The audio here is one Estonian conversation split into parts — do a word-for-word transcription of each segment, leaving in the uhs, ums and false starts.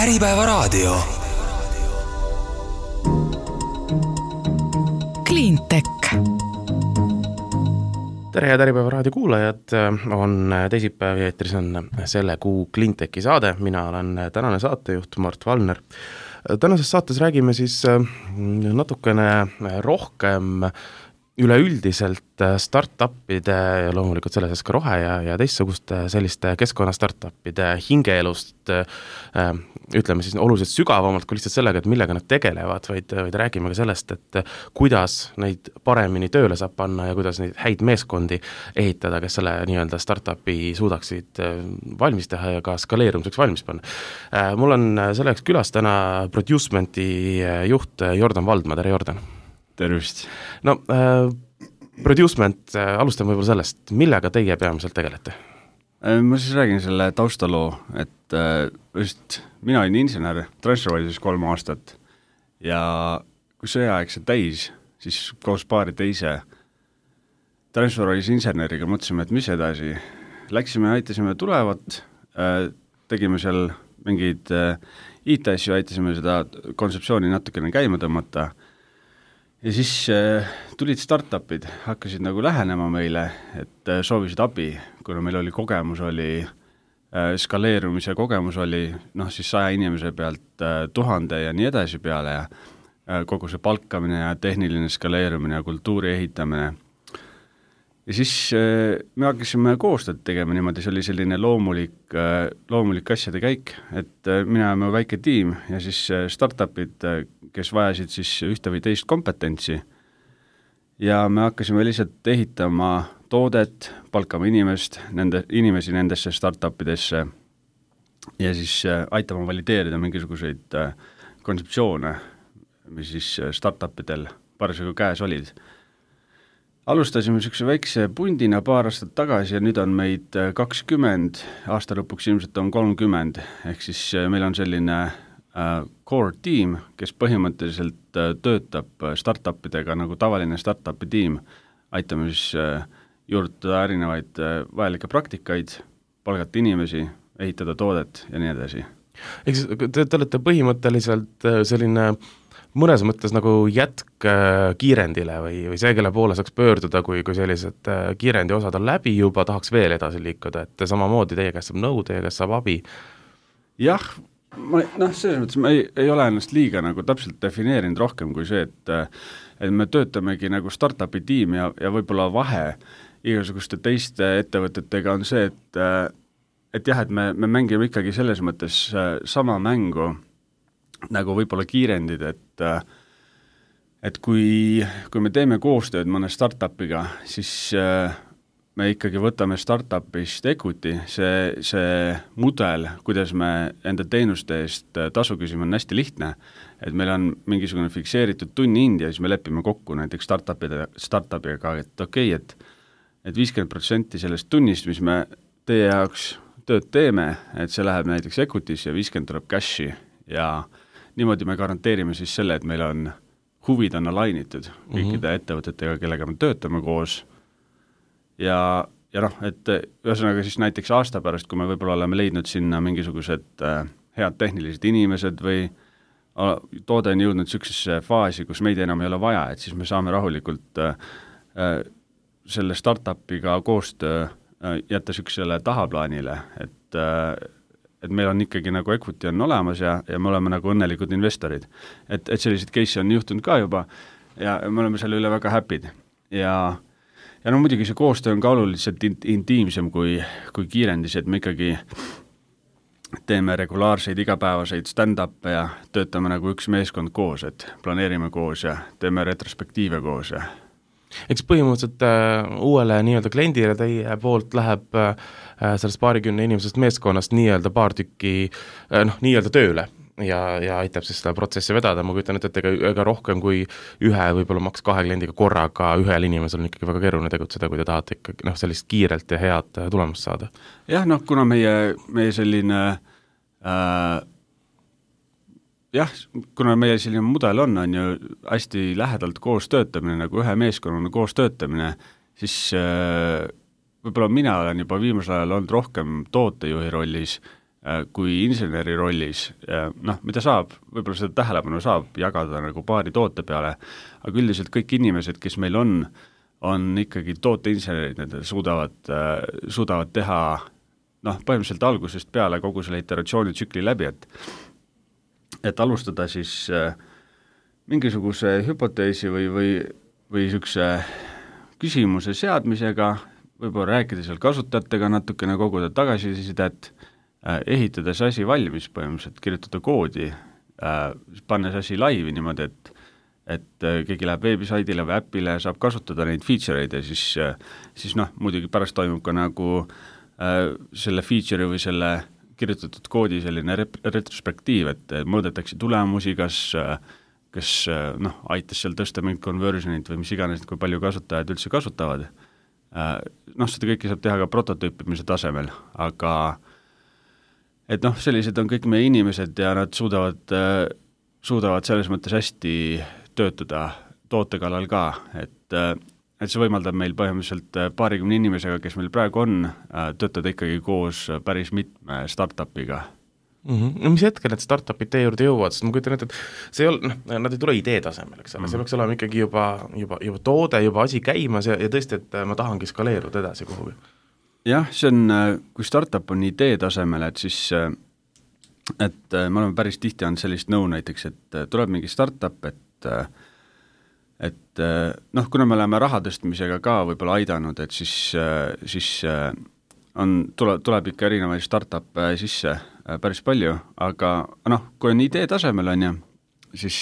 Äripäevaraadio. Cleantech. Tere head Äripäevaraadio kuulajad, on teisipäev ja eetris on selle kuu Cleantechi saade. Mina olen tänane saatejuht Mart Valner. Tänases saates räägime siis natukene rohkem üleüldiselt startupide ja loomulikult selle sees ka rohe ja, ja teistsuguste selliste keskkonna startupide hingeelust, ütleme siis oluliselt sügavamalt kui lihtsalt sellega, et millega nad tegelevad, vaid, vaid räägime ka sellest, et kuidas neid paremini tööle saab panna ja kuidas neid häid meeskondi ehitada, kes selle nii-öelda startupi suudaksid valmis teha ja ka skaleerumiseks valmis panna. Mul on selleks külas täna Producementi juht Jordan Valdma. Tere, Jordan! Tervist! No, äh, Producement, äh, alustame võib-olla sellest, millega teie peamiselt tegelete? Ma siis räägin selle taustaloo, et äh, just mina olin insener TransferWise'is kolm aastat ja kui sõjaaeg see täis, siis koos paari teise TransferWise inseneriga mõtlesime, et mis edasi. Läksime, aitasime tulevat, äh, tegime seal mingeid äh, I T-asju, aitasime seda kontseptsiooni natukene käima tõmmata. Ja siis äh, tulid startupid, hakkasid nagu lähenema meile, et äh, soovisid abi, kuna meil oli kogemus, oli äh, skaleerumise kogemus oli noh, siis saja inimese pealt äh, tuhande ja nii edasi peale ja äh, kogu see palkamine ja tehniline skaleerumine ja kultuuri ehitamine. Ja siis äh, me hakkasime koostööd tegema niimoodi, see oli selline loomulik, äh, loomulik asjade käik, et äh, mina oleme väike tiim ja siis äh, startupid, äh, kes vajasid siis ühte või teist kompetentsi ja me hakkasime lihtsalt ehitama toodet, palkama inimest, nende, inimesi nendesse startupidesse ja siis äh, aitama valideerida mingisuguseid äh, kontseptsioone, mis siis äh, startupidel parasjagu käes olid. Alustasime niisuguse väikse pundina paar aastat tagasi ja nüüd on meid kakskümmend, aasta lõpuks ilmselt on kolmkümmend, ehk siis meil on selline uh, core tiim, kes põhimõtteliselt uh, töötab startupidega nagu tavaline startupi tiim, aitame siis uh, juurduda erinevaid uh, vajalikke praktikaid, palgata inimesi, ehitada toodet ja nii edasi. Ehk siis te, te olete põhimõtteliselt selline mõnes mõttes nagu jätk kiirendile või, või see, kelle poole saaks pöörduda, kui, kui sellised kiirendi osad on läbi juba, tahaks veel edasi liikuda, et samamoodi teie käest saab nõu, teie käest saab abi. Jah, ma, noh, selles mõttes ma ei, ei ole ennast liiga nagu täpselt defineerinud rohkem kui see, et, et me töötamegi nagu startupi tiim ja, ja võib-olla vahe igasuguste teiste ettevõtetega on see, et, et jah, et me, me mängime ikkagi selles mõttes sama mängu nagu võib-olla kiirendid, et et kui, kui me teeme koostööd mõne startupiga, siis me ikkagi võtame startupist equity, see, see mudel, kuidas me enda teenuste eest tasu küsime, on hästi lihtne, et meil on mingisugune fikseeritud tunni hind ja siis me lepime kokku näiteks startupide, startupiga, et okei, okay, et et viiskümmend protsenti sellest tunnist, mis me teie jaoks tööd teeme, et see läheb näiteks equity'sse ja viiskümmend tuleb cashi ja niimoodi me garanteerime siis selle, et meil on huvid on alainitud kõikide mm-hmm. ettevõtetega, kellega me töötame koos ja, ja noh, et ühesõnaga siis näiteks aasta pärast, kui me võib-olla oleme leidnud sinna mingisugused äh, head tehnilised inimesed või äh, toode on jõudnud niisugusesse faasi, kus meid enam ei ole vaja, et siis me saame rahulikult äh, äh, selle startupiga koostöö äh, jätta niisugusele tahaplaanile, et äh, et meil on ikkagi nagu equity on olemas ja, ja me oleme nagu õnnelikud investorid. Et, et sellised case on juhtunud ka juba ja me oleme selle üle väga happy'd. Ja, ja no muidugi see koostöö on ka oluliselt intiimsem kui, kui kiirendis, et me ikkagi teeme regulaarseid igapäevaseid stand-up'e ja töötame nagu üks meeskond koos, et planeerime koos ja teeme retrospektiive koos ja eks põhimõtteliselt äh, uuele nii-öelda kliendile teie poolt läheb äh, sellest paarikümne inimesest meeskonnast nii-öelda paar tükki äh, noh, nii-öelda tööle ja, ja aitab siis seda protsessi vedada. Ma kujutan ette, et ega, ega rohkem kui ühe võib-olla maks kahe kliendiga korraga ühel inimesel on ikkagi väga keeruline tegutseda, kui te tahate ikkagi noh, sellist kiirelt ja head tulemust saada. Jah, noh, kuna meie, meie selline äh, jah, kuna meie selline mudel on, on ju hästi lähedalt koos töötamine, nagu ühe meeskonnana koos töötamine, siis äh, võib-olla mina olen juba viimasel ajal olnud rohkem tootejuhi rollis, kui inseneri rollis, noh, mida saab, võib-olla seda tähelepanu saab jagada nagu paari toote peale, aga üldiselt kõik inimesed, kes meil on, on ikkagi tooteinsenerid, need suudavad, suudavad teha noh, põhimõtteliselt algusest peale kogu selle iteratsioonitsükli läbi, et et alustada siis mingisuguse hüpoteesi või, või, või niisuguse küsimuse seadmisega, võib-olla rääkida seal kasutajatega natukene, koguda tagasisidet, ehitades asi valmis põhimõtteliselt, kirjutada koodi, pannes asi laivi niimoodi, et et keegi läheb veebisaidile või äpile, saab kasutada neid feature'id ja siis, siis noh, muidugi pärast toimub ka nagu äh, selle feature'i või selle kirjutatud koodi selline rep- retrospektiiv, et mõõdetakse tulemusi, kas, kas noh, aitas seal tõsta mingit conversionit või mis iganes, kui palju kasutajad üldse kasutavad. Äh, noh, seda kõike saab teha ka prototüüpimise tasemel, aga et noh, sellised on kõik meie inimesed ja nad suudavad, äh, suudavad selles mõttes hästi töötada toote kallal ka, et, et see võimaldab meil põhimõtteliselt paarikümne inimesega, kes meil praegu on, töötada ikkagi koos päris mitme startupiga. Mm-hmm. No mis hetkel need startupid teie juurde jõuavad, sest ma kujutan ette, et see ei ole, noh, nad ei tule idee tasemel, eks ole, mm-hmm. see peaks olema ikkagi juba, juba, juba toode, juba asi käimas ja, ja tõesti, et ma tahangi skaleeruda edasi kuhugi. Jah, see on, kui startup on idee tasemel, et siis et me oleme päris tihti on sellist nõu näiteks, et tuleb mingi startup, et et noh, kuna me oleme raha tõstmisega ka võib-olla aidanud, et siis, siis on, tuleb, tuleb ikka erinevaid startup sisse päris palju, aga noh, kui on idee tasemel on ja, siis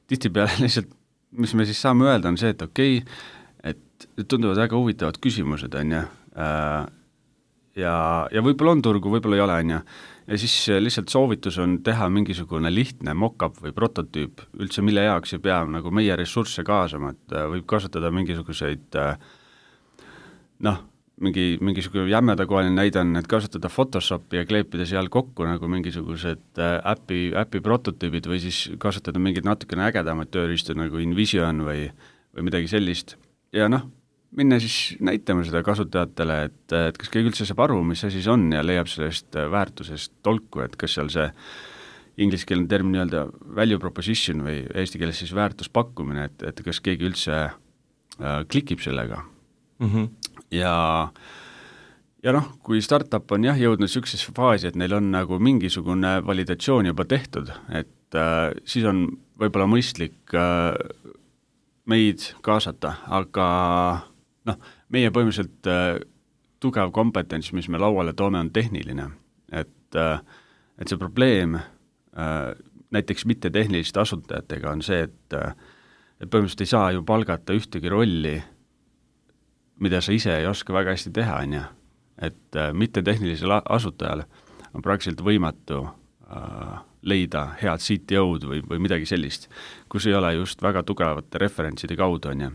tihtipeale lihtsalt, mis me siis saame öelda, on see, et okei, okay, et tunduvad väga huvitavad küsimused on ja, ja, ja võib-olla on turgu, võib-olla ei ole on ja, ja siis lihtsalt soovitus on teha mingisugune lihtne mock-up või prototüüp, üldse mille jaoks ei pea nagu meie ressursse kaasama, et võib kasutada mingisuguseid noh, mingi, mingisugune jämmedakohaline näide on, et kasutada Photoshopi ja kleepida seal kokku nagu mingisugused äpi, äpi prototüübid või siis kasutada mingid natukene ägedamaid tööriistu nagu InVision või, või midagi sellist ja noh, minna siis näitama seda kasutajatele, et, et kas keegi üldse saab aru, mis asi see on ja leiab sellest väärtusest tolku, et kas seal see ingliskeelne term nii-öelda value proposition või eesti keeles siis väärtuspakkumine, et, et kas keegi üldse äh, klikib sellega. Mm-hmm. Ja, ja noh, kui startup on jah jõudnud niisugusesse faasi, et neil on nagu mingisugune validatsioon juba tehtud, et äh, siis on võib-olla mõistlik äh, meid kaasata, aga noh, meie põhimõtteliselt äh, tugev kompetents, mis me lauale toome, on tehniline. Et, äh, et see probleem äh, näiteks mitte tehniliste asutajatega on see, et, äh, et põhimõtteliselt ei saa ju palgata ühtegi rolli, mida sa ise ei oska väga hästi teha, on ja. Et äh, mitte tehnilisel asutajal on praktiliselt võimatu äh, leida head C T O-d või, või midagi sellist, kus ei ole just väga tugevate referentside kaudu, on ja.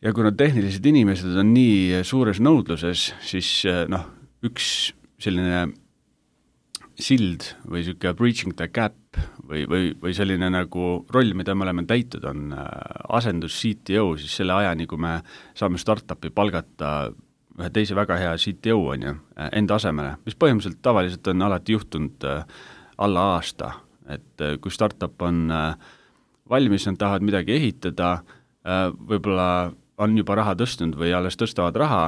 Ja kuna tehnilised inimesed on nii suures nõudluses, siis noh, üks selline sild või niisugune breaching the gap või, või, või selline nagu roll, mida me oleme täitud, on asendus C T O, siis selle ajani, kui me saame startupi palgata ühe teise väga hea C T O on ju, enda asemele, mis põhimõtteliselt tavaliselt on alati juhtunud alla aasta, et kui startup on valmis, nad tahavad midagi ehitada, võib-olla on juba raha tõstnud või alles tõstavad raha,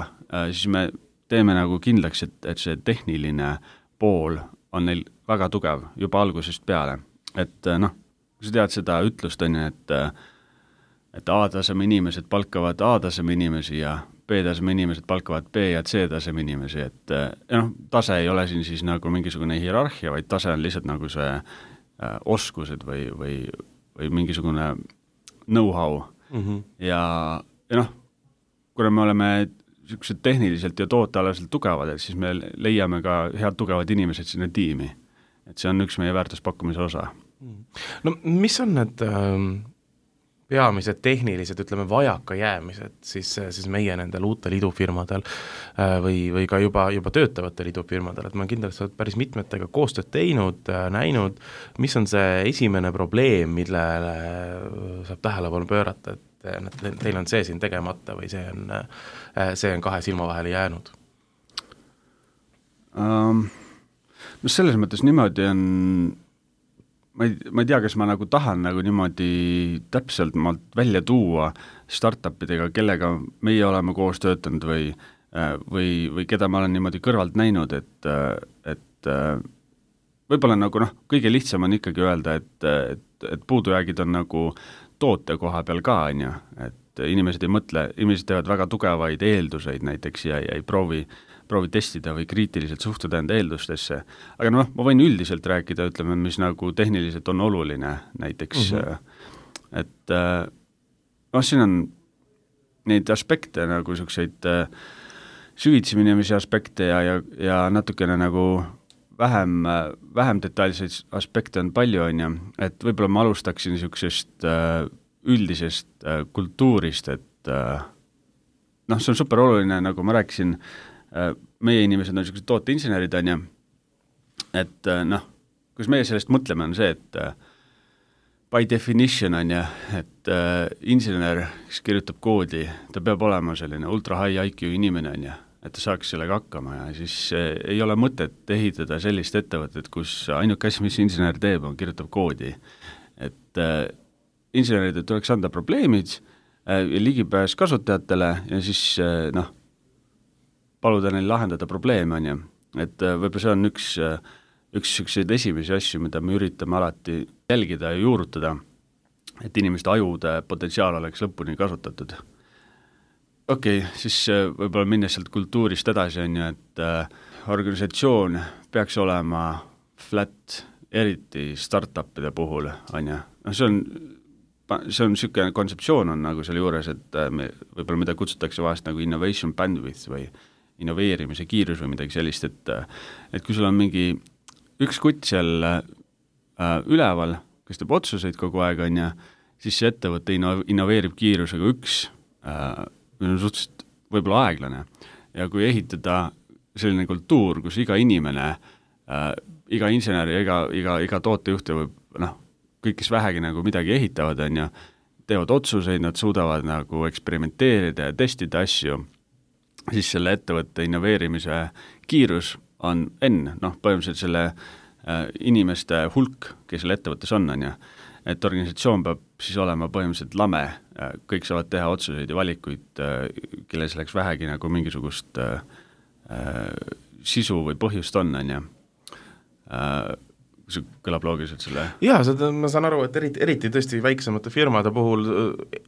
siis me teeme nagu kindlaks, et, et see tehniline pool on neil väga tugev juba algusest peale. Et noh, kui sa tead seda ütlust, on ju, et, et A-taseme inimesed palkavad A-taseme inimesi ja B-taseme inimesed palkavad B- ja C-taseme inimesi, et noh, tase ei ole siin siis nagu mingisugune hierarhia, vaid tase on lihtsalt nagu see äh, oskused või, või, või mingisugune know-how mm-hmm. ja ja noh, kuna me oleme niisugused tehniliselt ja tootealaselt tugevad, et siis me leiame ka head tugevad inimesed sinna tiimi. Et see on üks meie väärtuspakkumise osa. No mis on need ähm, peamised tehnilised, ütleme, vajaka jäämised siis, siis meie nendel uutel idufirmadel äh, või, või ka juba, juba töötavatel idufirmadel, et ma kindlasti sa oled päris mitmetega koostööd teinud, äh, näinud, mis on see esimene probleem, millele saab tähelepanu pöörata, et teil on see siin tegemata või see on, see on kahe silma vahele jäänud? Um, no selles mõttes niimoodi on, ma ei, ma ei tea, kas ma nagu tahan nagu niimoodi täpselt maalt välja tuua startupidega, kellega meie oleme koos töötanud või, või, või keda ma olen niimoodi kõrvalt näinud, et, et võib-olla nagu noh, kõige lihtsam on ikkagi öelda, et, et, et puudujäägid on nagu toote koha peal ka, on ju, et inimesed ei mõtle, inimesed teevad väga tugevaid eelduseid näiteks ja, ja ei proovi proovi testida või kriitiliselt suhtuda enda eeldustesse. Aga noh, ma võin üldiselt rääkida, ütleme, mis nagu tehniliselt on oluline näiteks, mm-hmm. et noh, siin on neid aspekte nagu selliseid süvitsi minemise aspekte ja, ja, ja natukene nagu vähem, vähem detailseid aspekte on palju, on ju, et võib-olla ma alustaksin niisugusest üldisest kultuurist, et noh, see on super oluline, nagu ma rääkisin, meie inimesed on niisugused tooteinsenerid, on ju, et noh, kus meie sellest mõtleme, on see, et by definition on ju, et uh, insener, kes kirjutab koodi, ta peab olema selline ultra high I Q inimene, on ju, et ta saaks sellega hakkama ja siis uh, ei ole mõtet ehitada sellist ettevõtet, kus ainuke asi, mis insener teeb, on kirjutab koodi. Et uh, insenerid tuleks anda probleemid uh, ja ligipääs kasutajatele ja siis uh, noh, paluda neil lahendada probleeme, on ju. Et võib-olla see on üks, üks selliseid esimesi asju, mida me üritame alati jälgida ja juurutada, et inimeste ajude potentsiaal oleks lõpuni kasutatud. Okei, okay, siis võib-olla minnes sealt kultuurist edasi, on ju, et organisatsioon peaks olema flat, eriti startupide puhul, on ju. No see on see on niisugune kontseptsioon on nagu selle juures, et me, võib-olla mida kutsutakse vahest nagu innovation bandwidth või innoveerimise kiirus või midagi sellist, et, et kui sul on mingi üks kutt seal äh, üleval, kes teeb otsuseid kogu aeg, on ja, siis see ettevõte inno-, innoveerib kiirusega üks, äh, suhteliselt võib-olla aeglane. Ja kui ehitada selline kultuur, kus iga inimene, äh, iga insener ja iga, iga, iga tootejuht võib, noh, kõik, kes vähegi nagu midagi ehitavad, on ja, teevad otsuseid, nad suudavad nagu eksperimenteerida ja testida asju, siis selle ettevõtte innoveerimise kiirus on enne, noh, põhimõtteliselt selle äh, inimeste hulk, kes selle ettevõttes on, on ja, et organisatsioon peab siis olema põhimõtteliselt lame, äh, kõik saavad teha otsuseid ja valikuid, äh, kelle selleks vähegi nagu mingisugust äh, äh, sisu või põhjust on, on ja, äh, see kõlab loogiliselt selle? Jaa, seda ma saan aru, et eriti, eriti tõesti väiksemate firmade puhul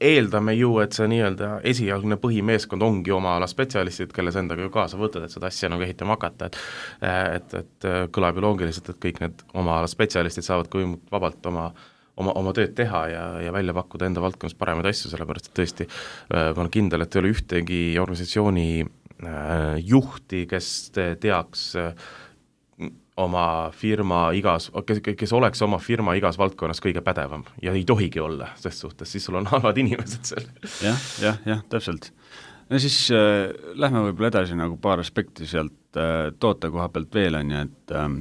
eeldame ju, et see nii-öelda esialgne põhimeeskond ongi oma ala spetsialistid, kelle sa endaga ju kaasa võtad, et seda asja nagu ehitama hakata, et et, et kõlab ju loogiliselt, et kõik need oma ala spetsialistid saavad kui vabalt oma oma, oma tööd teha ja, ja välja pakkuda enda valdkonnas paremaid asju, sellepärast et tõesti ma olen kindel, et ei ole ühtegi organisatsiooni juhti, kes teaks oma firma igas, kes, kes oleks oma firma igas valdkonnas kõige pädevam ja ei tohigi olla, sest suhtes, siis sul on halvad inimesed seal. jah, jah, jah, täpselt. Ja siis äh, lähme võib-olla edasi nagu paar aspekti sealt äh, toote koha pealt veel on ja et äh,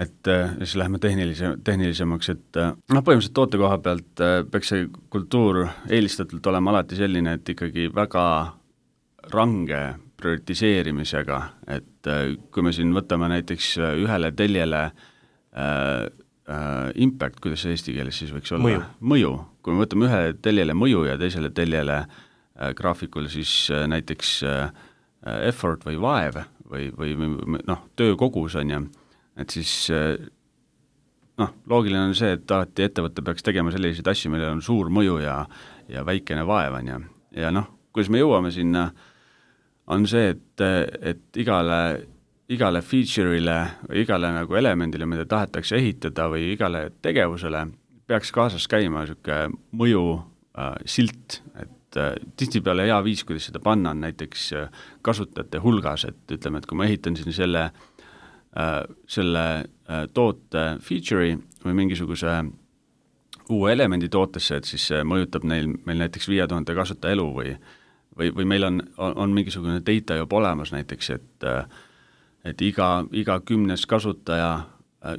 et äh, siis lähme tehnilise, tehnilisemaks, et äh, noh, põhimõtteliselt toote koha pealt äh, peaks see kultuur eelistatult olema alati selline, et ikkagi väga range prioritiseerimisega, et äh, kui me siin võtame näiteks ühele teljele äh, äh, impact, kuidas see eesti keeles siis võiks olla? Mõju. Mõju. Kui me võtame ühele teljele mõju ja teisele teljele äh, graafikul siis äh, näiteks äh, effort või vaev või, või noh, töö kogus on ja, et siis äh, noh, loogiline on see, et alati ettevõte peaks tegema selliseid asju, millel on suur mõju ja, ja väikene vaev on ja, ja noh, kuidas me jõuame sinna on see, et, et igale, igale feature'ile või igale nagu elemendile, mida tahetakse ehitada või igale tegevusele, peaks kaasas käima niisugune mõju äh, silt, et äh, tihtipeale hea viis, kuidas seda panna, on näiteks äh, kasutajate hulgas, et ütleme, et kui ma ehitan siin selle, äh, selle äh, toote feature'i või mingisuguse uue elemendi tootesse, et siis see mõjutab neil, meil näiteks viie tuhande kasutaja elu või või, või meil on, on, on mingisugune data juba olemas näiteks, et et iga, iga kümnes kasutaja,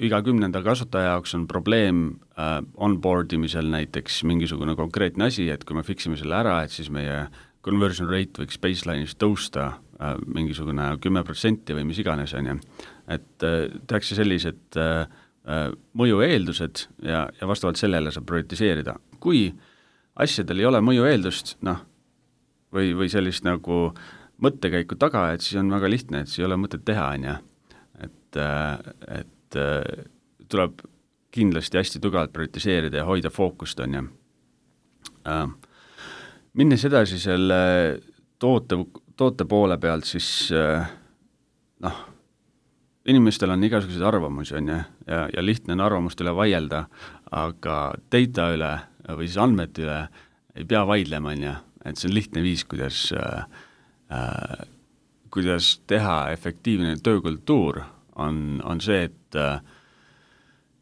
iga kümnenda kasutaja jaoks on probleem äh, onboard imisel näiteks mingisugune konkreetne asi, et kui me fiksime selle ära, et siis meie conversion rate võiks baseline'is tõusta mingisugune kümme protsenti või mis iganes, on ju. Et tehakse sellised mõju eeldused ja, ja vastavalt sellele saab prioritiseerida. Kui asjadel ei ole mõju eeldust, noh, või, või sellist nagu mõttekäiku taga, et siis on väga lihtne, et siis ei ole mõtet teha, on ju. Et, et tuleb kindlasti hästi tugevalt prioritiseerida ja hoida fookust, on ju. Minnes edasi selle toote, toote poole pealt, siis noh, inimestel on igasuguseid arvamusi, on ju, ja, ja lihtne on arvamust üle vaielda, aga data üle või siis andmete üle ei pea vaidlema, on ju, et see on lihtne viis, kuidas, äh, kuidas teha efektiivne töökultuur, on, on see, et äh,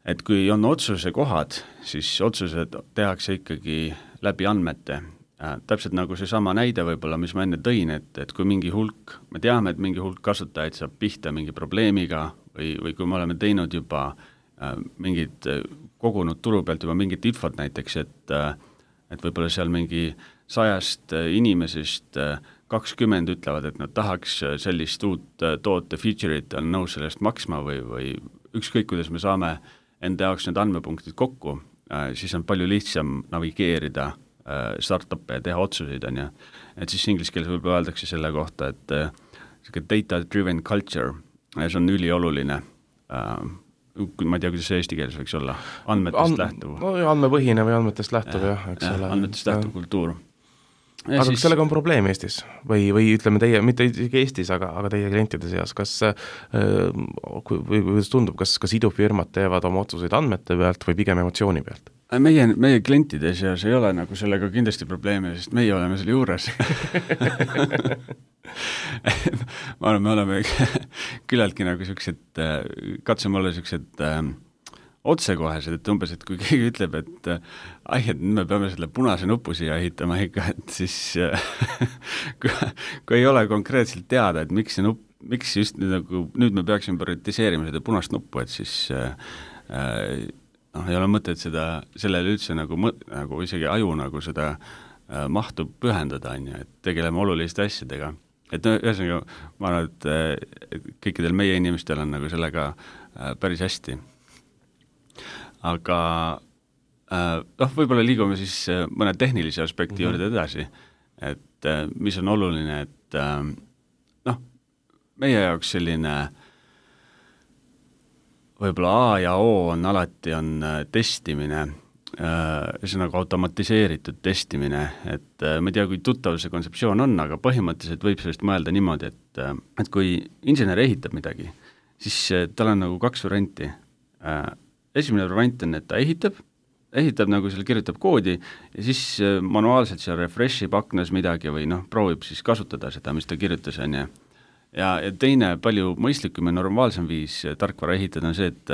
et kui on otsuse kohad, siis otsused tehakse ikkagi läbi andmete. Äh, täpselt nagu see sama näide võib-olla, mis ma enne tõin, et, et kui mingi hulk, me teame, et mingi hulk kasutajaid saab pihta mingi probleemiga või, või kui me oleme teinud juba äh, mingid, kogunud turu pealt juba mingit infot näiteks, et, äh, et võib-olla seal mingi sajast inimesest äh, kakskümmend ütlevad, et nad tahaks sellist uut äh, toote feature'it, on nõus sellest maksma või, või ükskõik, kuidas me saame enda jaoks need andmepunktid kokku, äh, siis on palju lihtsam navigeerida startup'e ja teha otsuseid, on ju. Et siis inglise keeles võib-olla öeldakse selle kohta, et äh, data-driven culture, see on ülioluline. Äh, ma ei tea, kuidas see eesti keeles võiks olla, andmetest And, lähtuv. No, andmepõhine või andmetest lähtuv, jah, eks ja, ole. Andmetest lähtuv ja. Kultuur. Ja aga siis... kas sellega on probleem Eestis? Või, või ütleme teie, mitte Eestis, aga, aga teie klientide seas, kas äh, või kuidas tundub, kas, kas idufirmad teevad oma otsuseid andmete pealt või pigem emotsiooni pealt? Meie, meie klientide seas ei ole nagu sellega kindlasti probleemi, sest meie oleme selle juures. ma arvan, me oleme küllaltki nagu siuksed, katsume olla siuksed äh, otsekohesed, et umbes, et kui keegi ütleb, et ai, et me peame selle punase nupu siia ehitama ikka, et siis kui, kui ei ole konkreetselt teada, et miks see nupp, miks just nüüd, nagu, nüüd me peaksime prioritiseerima seda punast nuppu, et siis äh, noh, ei ole mõtet seda, sellele üldse nagu, nagu isegi aju nagu seda äh, mahtu pühendada, on ju, et tegeleme oluliste asjadega. Et ühesõnaga, ma arvan, et, et kõikidel meie inimestel on nagu sellega äh, päris hästi. Aga äh, noh, võib-olla liigume siis äh, mõne tehnilise aspekti mm-hmm. juurde edasi, et äh, mis on oluline, et äh, noh, meie jaoks selline võib-olla A ja O on alati on äh, testimine, äh, see nagu automatiseeritud testimine, et äh, ma ei tea, kui tuttav see kontseptsioon on, aga põhimõtteliselt võib sellest mõelda niimoodi, et, äh, et kui insener ehitab midagi, siis äh, tal on nagu kaks varianti. Äh, esimene variant on, et ta ehitab, ehitab nagu seal, kirjutab koodi ja siis äh, manuaalselt seal refreshib aknas midagi või noh, proovib siis kasutada seda, mis ta kirjutas, on ju. Ja, ja teine palju mõistlikum ja normaalsem viis tarkvara ehitada on see, et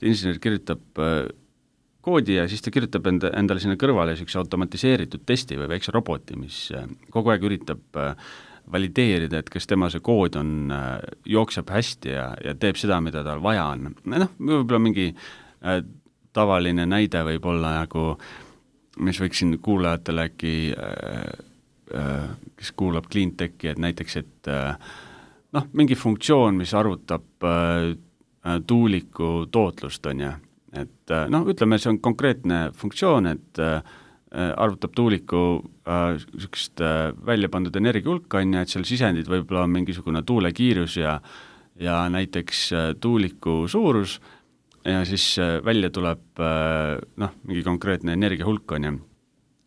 insener kirjutab koodi ja siis ta kirjutab enda, endale sinna kõrvale siukse automatiseeritud testi või väikse roboti, mis kogu aeg üritab valideerida, et kas tema see kood on, jookseb hästi ja, ja teeb seda, mida tal vaja on. Noh, võib-olla mingi äh, tavaline näide võib olla nagu, mis võiksin kuulajatele äkki, äh, äh, kes kuulab Cleantechi, et näiteks, et äh, noh, mingi funktsioon, mis arvutab äh, tuuliku tootlust, on ju. Et äh, noh, ütleme, see on konkreetne funktsioon, et äh, arvutab tuuliku äh, sükest äh, välja pandud energiahulka, on ju, et seal sisendid võib-olla on mingisugune tuulekiirus ja, ja näiteks äh, tuuliku suurus ja siis äh, välja tuleb äh, noh, mingi konkreetne energiahulk, on ju.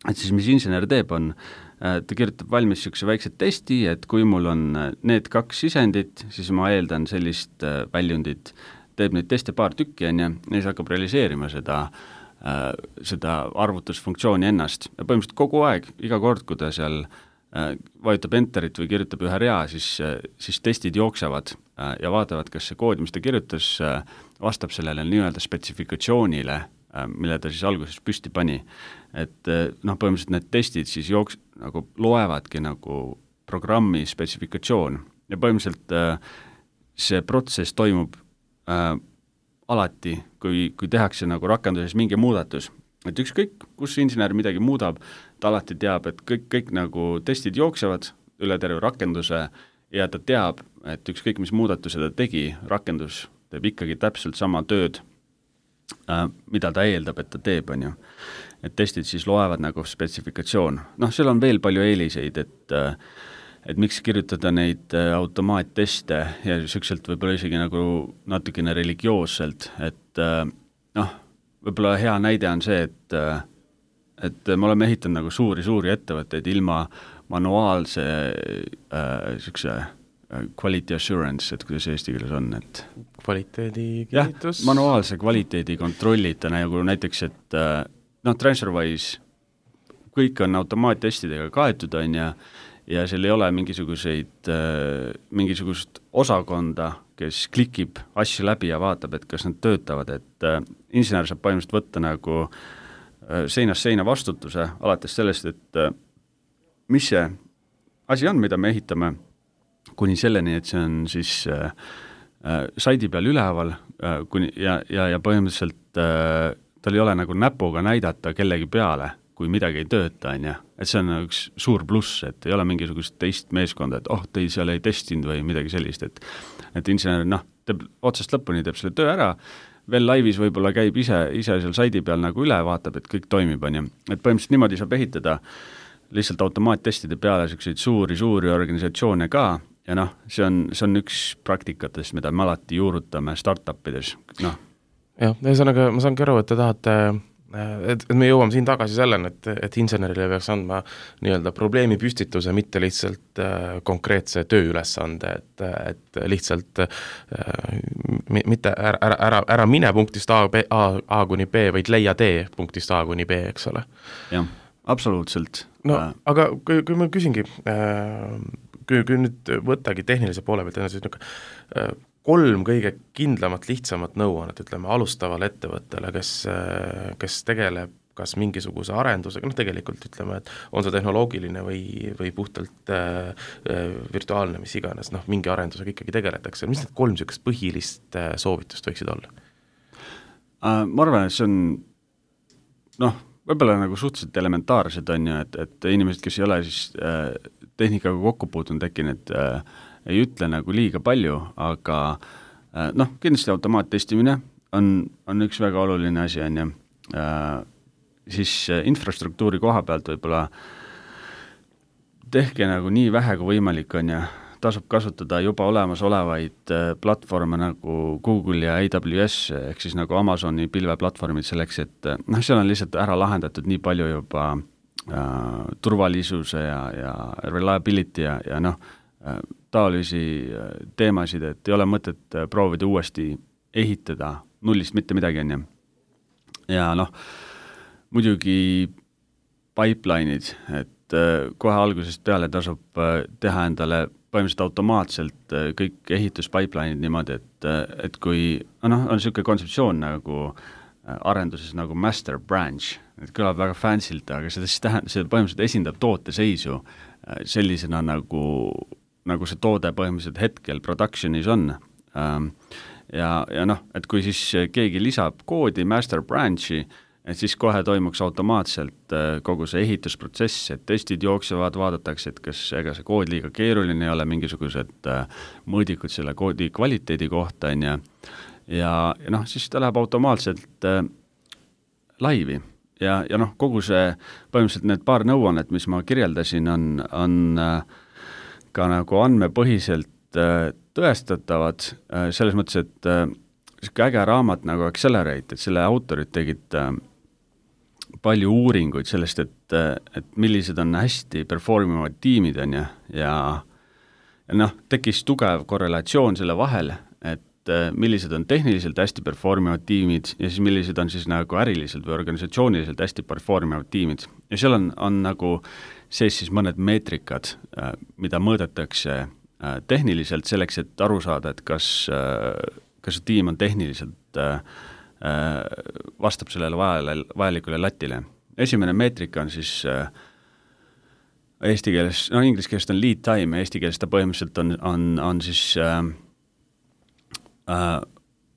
Et siis mis insener teeb, on ta kirjutab valmis niisuguse väikse testi, et kui mul on need kaks sisendit, siis ma eeldan sellist väljundit, teeb neid teste paar tükki, on ju, ja siis hakkab realiseerima seda, seda arvutusfunktsiooni ennast. Ja põhimõtteliselt kogu aeg, iga kord, kui ta seal vajutab enterit või kirjutab ühe rea, siis, siis testid jooksevad ja vaatavad, kas see kood, mis ta kirjutas, vastab sellele nii-öelda spetsifikatsioonile, mille ta siis alguses püsti pani. Et noh, põhimõtteliselt need testid siis jooks, nagu loevadki nagu programmi spetsifikatsioon ja põhimõtteliselt äh, see protsess toimub äh, alati, kui, kui tehakse nagu rakenduses mingi muudatus, et ükskõik, kus insener midagi muudab, ta alati teab, et kõik, kõik nagu testid jooksevad üle terve rakenduse ja ta teab, et ükskõik mis muudatuse ta tegi, rakendus teeb ikkagi täpselt sama tööd, äh, mida ta eeldab, et ta teeb, on ju. Et testid siis loevad nagu spetsifikatsioon. Noh, seal on veel palju eeliseid, et, et miks kirjutada neid automaatteste ja sükselt võib-olla isegi nagu natukene religioosselt, et noh, võib-olla hea näide on see, et, et me oleme ehitanud nagu suuri-suuri ettevõtteid ilma manuaalse äh, sükse quality assurance, et kuidas eesti keeles on, et kvaliteedi kinnitus? Jah, manuaalse kvaliteedi kontrollita, nagu näiteks, et noh, TransferWise, kõik on automaattestidega kaetud, on ja, ja seal ei ole mingisuguseid, mingisugust osakonda, kes klikib asju läbi ja vaatab, et kas nad töötavad, et insener saab põhimõtteliselt võtta nagu seinast seina vastutuse, alates sellest, et mis see asi on, mida me ehitame, kuni selleni, et see on siis äh, saidi peal üleval äh, kuni, ja, ja, ja põhimõtteliselt äh, tal ei ole nagu näpuga näidata kellegi peale, kui midagi ei tööta, on ja. Et see on üks suur pluss, et ei ole mingisugust teist meeskonda, et oh, te seal ei testinud või midagi sellist, et, et insener, noh, teeb otsast lõpuni, teeb selle töö ära, veel laivis võib-olla käib ise, ise seal saidi peal nagu üle, vaatab, et kõik toimib, on ja. Et põhimõtteliselt niimoodi saab ehitada lihtsalt automaattestide peale selliseid suuri-suuri organisatsioone ka, ja noh, see on, see on üks praktikatest, mida me alati juurutame startupides, noh. Jah, ühesõnaga ma saangi aru, et te tahate, et, et me jõuame siin tagasi selleni, et, et insenerile peaks andma nii-öelda probleemi püstituse, mitte lihtsalt äh, konkreetse tööülesande, et, et lihtsalt äh, mitte ära, ära, ära, ära mine punktist A, B, A, A kuni B, vaid leia tee punktist A kuni B, eks ole. Jah, absoluutselt. No, äh. aga kui, kui ma küsingi äh, kui, kui nüüd võttagi tehnilise poole pealt, siis niisugune kolm kõige kindlamat, lihtsamat nõuannet, ütleme, alustavale ettevõttele, kes, kes tegeleb kas mingisuguse arendusega, noh tegelikult ütleme, et on see tehnoloogiline või, või puhtalt äh, virtuaalne, mis iganes, noh mingi arendusega ikkagi tegeletakse. Mis need kolm niisugust põhilist äh, soovitust võiksid olla? Uh, ma arvan, et see on noh, võib-olla nagu suhteliselt elementaarsed on ju, et, et inimesed, kes ei ole siis äh, tehnikaga kokku puutunud äkki need äh, ei ütle nagu liiga palju, aga äh, noh, kindlasti automaattestimine on, on üks väga oluline asi, on ju. Äh, siis äh, infrastruktuuri koha pealt võib-olla tehke nagu nii vähe kui võimalik, on ju, tasub kasutada juba olemasolevaid äh, platvorme nagu Google ja A W S, ehk siis nagu Amazoni pilveplatvormid selleks, et noh, seal on lihtsalt ära lahendatud nii palju juba äh, turvalisuse ja, ja reliability ja, ja noh, äh, taolisi teemasid, et ei ole mõtet proovida uuesti ehitada nullist mitte midagi, on ju. Ja noh, muidugi pipeline'id, et kohe algusest peale tasub teha endale põhimõtteliselt automaatselt kõik ehituspipeline'id niimoodi, et, et kui noh, on niisugune kontseptsioon nagu arenduses nagu master branch, et kõlab väga fancylt, aga seda siis tähendab, see põhimõtteliselt esindab tooteseisu sellisena nagu nagu see toode põhimõtteliselt hetkel productionis on. Ja, ja noh, et kui siis keegi lisab koodi master branchi, et siis kohe toimuks automaatselt kogu see ehitusprotsess, et testid jooksevad, vaadatakse, et kas ega see kood liiga keeruline ei ole, mingisugused mõõdikud selle koodi kvaliteedi kohta, on ja, ja, ja noh, siis ta läheb automaatselt laivi. Ja, ja noh, kogu see põhimõtteliselt need paar nõuannet, mis ma kirjeldasin, on, on ka nagu andmepõhiselt äh, tõestatavad äh, selles mõttes, et äh, äge raamat nagu Accelerate, et selle autorid tegid äh, palju uuringuid sellest, et, äh, et millised on hästi performivad tiimid on ja, ja, ja noh, tekkis tugev korrelatsioon selle vahel, et äh, millised on tehniliselt hästi performivad tiimid ja siis millised on siis nagu äriliselt või organisatsiooniliselt hästi performivad tiimid. Ja seal on, on nagu sees siis mõned meetrikad, mida mõõdetakse tehniliselt selleks, et aru saada, et kas, kas see tiim on tehniliselt, vastab sellele vajale, vajalikule latile. Esimene meetrika on siis eesti keeles, no inglise keeles on lead time ja eesti keeles ta põhimõtteliselt on, on, on siis äh,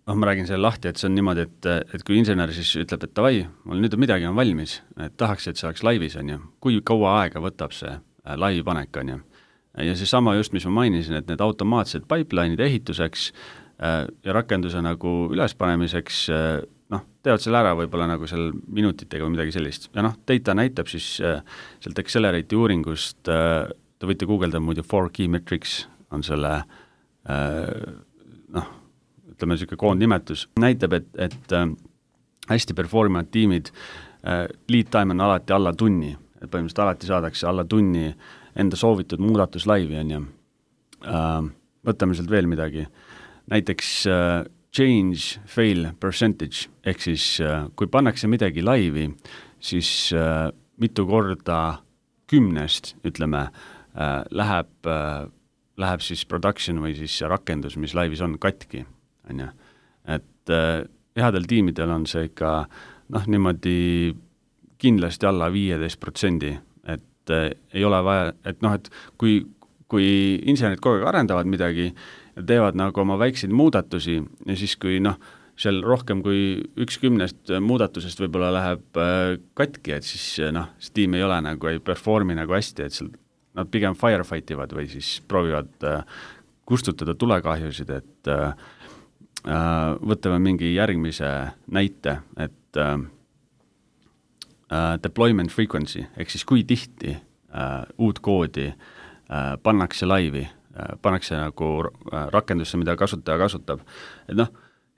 noh, ma räägin selle lahti, et see on niimoodi, et, et kui insener siis ütleb, et davai, mul nüüd on midagi on valmis, et tahaks, et see oleks laivis, on ju, kui kaua aega võtab see laivi panek, on ju, ja see sama just, mis ma mainisin, et need automaatsed pipeline'id ehituseks ja rakenduse nagu ülespanemiseks, noh, teevad selle ära võib-olla nagu seal minutitega või midagi sellist. Ja noh, data näitab siis sealt Accelerate'i uuringust, te võite guugeldada muidu four key metrics on selle noh, ütleme niisugune koondnimetus, näitab, et, et hästi performavad tiimid, lead time on alati alla tunni, et põhimõtteliselt alati saadakse alla tunni enda soovitud muudatus laivi, on ju. Võtame sealt veel midagi. Näiteks uh, change fail percentage, ehk siis uh, kui pannakse midagi laivi, siis uh, mitu korda kümnest, ütleme, uh, läheb, uh, läheb siis production või siis rakendus, mis laivis on, katki, on ju. Et uh, headel tiimidel on see ikka noh, niimoodi kindlasti alla viieteist protsendi, et uh, ei ole vaja, et noh, et kui, kui insenerid kogu aeg arendavad midagi, teevad nagu oma väikseid muudatusi ja siis, kui noh, seal rohkem kui üks kümnest muudatusest võib-olla läheb äh, katki, et siis noh, see tiim ei ole nagu, ei performi nagu hästi, et seal nad pigem firefight ivad või siis proovivad äh, kustutada tulekahjusid, et äh, võtame mingi järgmise näite, et äh, deployment frequency, ehk siis kui tihti äh, uut koodi äh, pannakse laivi, pannakse nagu rakendusse, mida kasutaja kasutab. Et noh,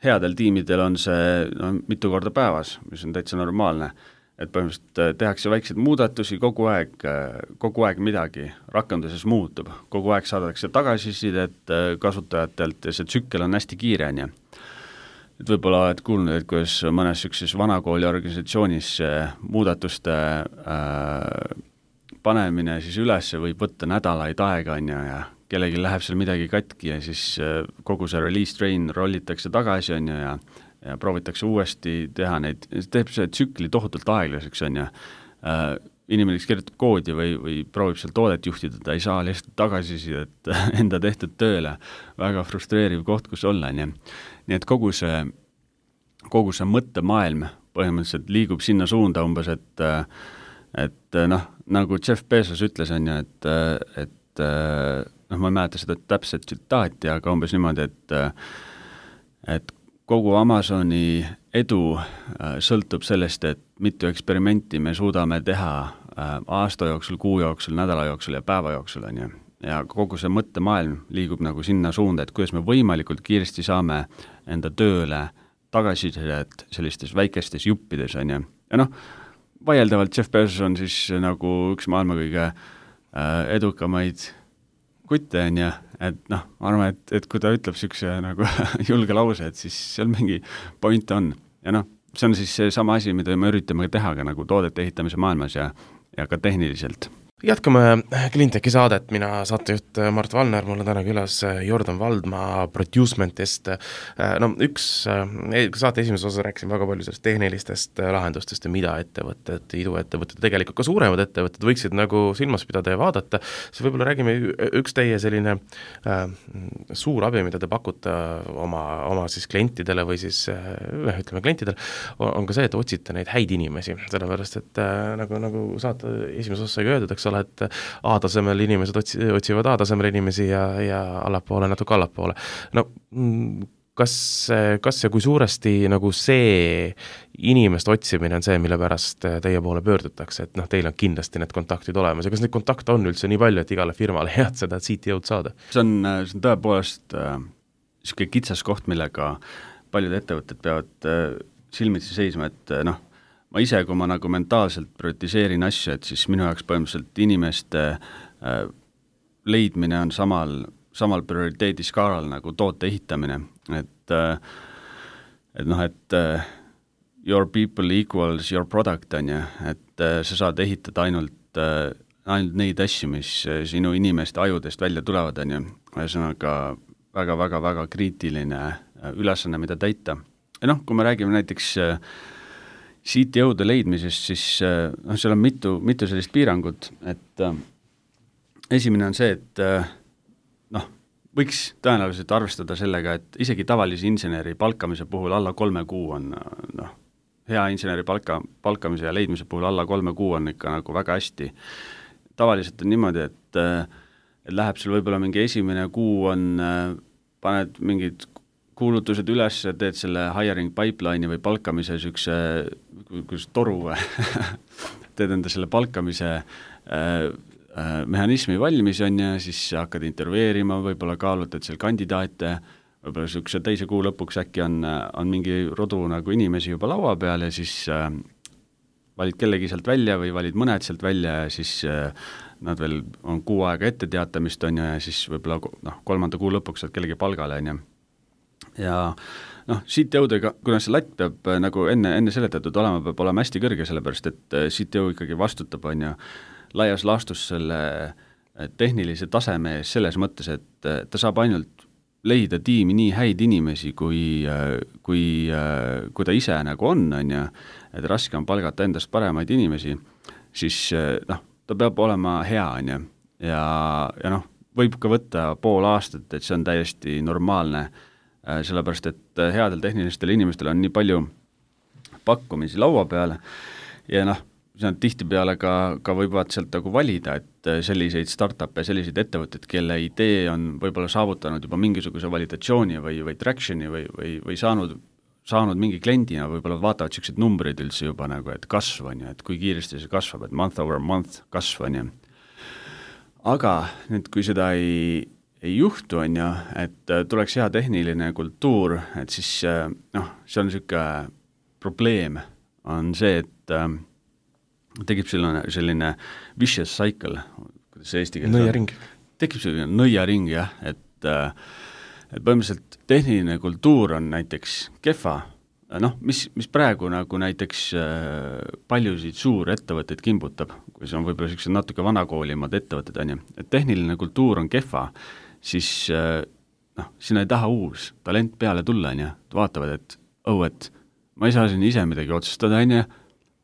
headel tiimidel on see no, mitu korda päevas, mis on täitsa normaalne, et põhimõtteliselt tehakse väikseid muudatusi, kogu aeg, kogu aeg midagi rakenduses muutub, kogu aeg saadakse tagasisidet kasutajatelt ja see tsükkel on hästi kiire, on ju. Et võib-olla oled kuulnud, et kuidas mõnes ükses vanakooli organisatsioonis muudatuste äh, panemine siis üles võib võtta nädalaid aega, on ju, ja kellegi läheb seal midagi katki ja siis kogu see release train rollitakse tagasi, on ju, ja, ja proovitakse uuesti teha neid, teeb see tsükli tohutult aeglaseks, on ju. Äh, inimene, kes kirjutab koodi või, või proovib seal toodet juhtida, ta ei saa lihtsalt tagasisidet enda tehtud tööle. Väga frustreeriv koht, kus olla, on ju. Nii et kogu see, kogu see mõttemaailm põhimõtteliselt liigub sinna suunda umbes, et, et noh, nagu Jeff Bezos ütles, on ju, et, et noh, ma ei mäleta seda täpset tsitaati, aga umbes niimoodi, et, et kogu Amazoni edu sõltub sellest, et mitu eksperimenti me suudame teha aasta jooksul, kuu jooksul, nädala jooksul ja päeva jooksul, on ju. Ja kogu see mõttemaailm liigub nagu sinna suunda, et kuidas me võimalikult kiiresti saame enda tööle tagasisidet sellistes väikestes juppides, on ju. Ja noh, vaieldavalt Jeff Bezos on siis nagu üks maailma kõige edukamaid kutte, on ju, et noh, ma arvan, et, et kui ta ütleb niisuguse nagu julge lause, et siis seal mingi point on. Ja noh, see on siis see sama asi, mida me üritame teha ka nagu toodete ehitamise maailmas ja, ja ka tehniliselt. Jätkame Cleantech'i saadet, mina saatejuht Mart Valner, mul on täna külas Jordan Valdma Producementist. No üks saate esimeses osas rääkisin väga palju sellest tehnilistest lahendustest ja mida ettevõtted, iduettevõtted, tegelikult ka suuremad ettevõtted võiksid nagu silmas pidada ja vaadata. See võib-olla räägime üks teie selline äh, suur abi, mida te pakute oma, oma siis klientidele või siis äh, ütleme klientidele, on ka see, et otsite neid häid inimesi, sellepärast et äh, nagu, nagu saate esimeses osas sai öeldud, eks ole, et A-tasemel inimesed otsi, otsivad A-tasemel inimesi ja, ja allapoole natuke allapoole. No kas, kas ja kui suuresti nagu see inimeste otsimine on see, mille pärast teie poole pöördutakse, et noh, teil on kindlasti need kontaktid olemas ja kas neid kontakte on üldse nii palju, et igale firmale head seda C T O-d saada? See on, see on tõepoolest äh, niisugune kitsas koht, millega paljud ettevõtted peavad äh, silmitsi seisma, et äh, noh, ma ise, kui ma nagu mentaalselt prioritiseerin asju, et siis minu jaoks põhimõtteliselt inimeste äh, leidmine on samal, samal prioriteediskaalal nagu toote ehitamine, et äh, et noh, et äh, your people equals your product, on ju, et äh, sa saad ehitada ainult, äh, ainult neid asju, mis äh, sinu inimeste ajudest välja tulevad, on ju, ühesõnaga väga-väga-väga kriitiline äh, ülesanne, mida täita. Ja noh, kui me räägime näiteks äh, C T O-de leidmisest, siis noh, seal on mitu, mitu sellist piirangut, et äh, esimene on see, et äh, noh, võiks tõenäoliselt arvestada sellega, et isegi tavalise inseneri palkamise puhul alla kolme kuu on noh, hea inseneri palka, palkamise ja leidmise puhul alla kolme kuu on ikka nagu väga hästi. Tavaliselt on niimoodi, et, et läheb sul võib-olla mingi esimene kuu on, paned mingid kuulutused üles, teed selle hiring pipeline'i või palkamise sükse, kus toru teed enda selle palkamise äh, äh, mehhanismi valmis on ja siis hakkad intervjueerima, võib-olla kaalutad seal kandidaate, võib-olla sükse teise kuu lõpuks äkki on, on mingi rodu nagu inimesi juba laua peal ja siis äh, valid kellegi sealt välja või valid mõned sealt välja ja siis äh, nad veel on kuu aega ette teatamist on ja siis võib-olla noh, kolmanda kuu lõpuks saad kellegi palgale on ja ja noh, C T O-dega, kuna see latt peab nagu enne, enne seletatud olema, peab olema hästi kõrge, sellepärast et C T O ikkagi vastutab, on ju, laias laastus selle tehnilise taseme ees selles mõttes, et ta saab ainult leida tiimi nii häid inimesi, kui, kui, kui ta ise nagu on, on ju, et raske on palgata endast paremaid inimesi, siis noh, ta peab olema hea, on ju, ja, ja noh, võib ka võtta pool aastat, et see on täiesti normaalne, sellepärast, et headel tehnilistel inimestel on nii palju pakkumisi laua peale ja noh, see on tihtipeale ka, ka võivad sealt nagu valida, et selliseid startup'e, selliseid ettevõtteid, kelle idee on võib-olla saavutanud juba mingisuguse validatsiooni või, või traction'i või, või, või saanud, saanud mingi kliendina, võib-olla vaatavad sellised numbrid üldse juba nagu, et kasv on ju, et kui kiiresti see kasvab, et month over month kasv on ju. Aga nüüd, kui seda ei ei juhtu, on ju, et tuleks hea tehniline kultuur, et siis noh, see on niisugune probleem, on see, et äh, tekib selline, selline vicious cycle, kuidas see eesti keeles nõiaring. Tekib selline nõiaring, jah, et, äh, et põhimõtteliselt tehniline kultuur on näiteks kehva, noh, mis, mis praegu nagu näiteks äh, paljusid suurettevõtteid kimbutab, kui see on võib-olla sellised natuke vanakoolimad ettevõtted, on ju, et tehniline kultuur on kehva, siis noh, sinna ei taha uus talent peale tulla, on ju, vaatavad, et oh, et ma ei saa siin ise midagi otsustada, on ju,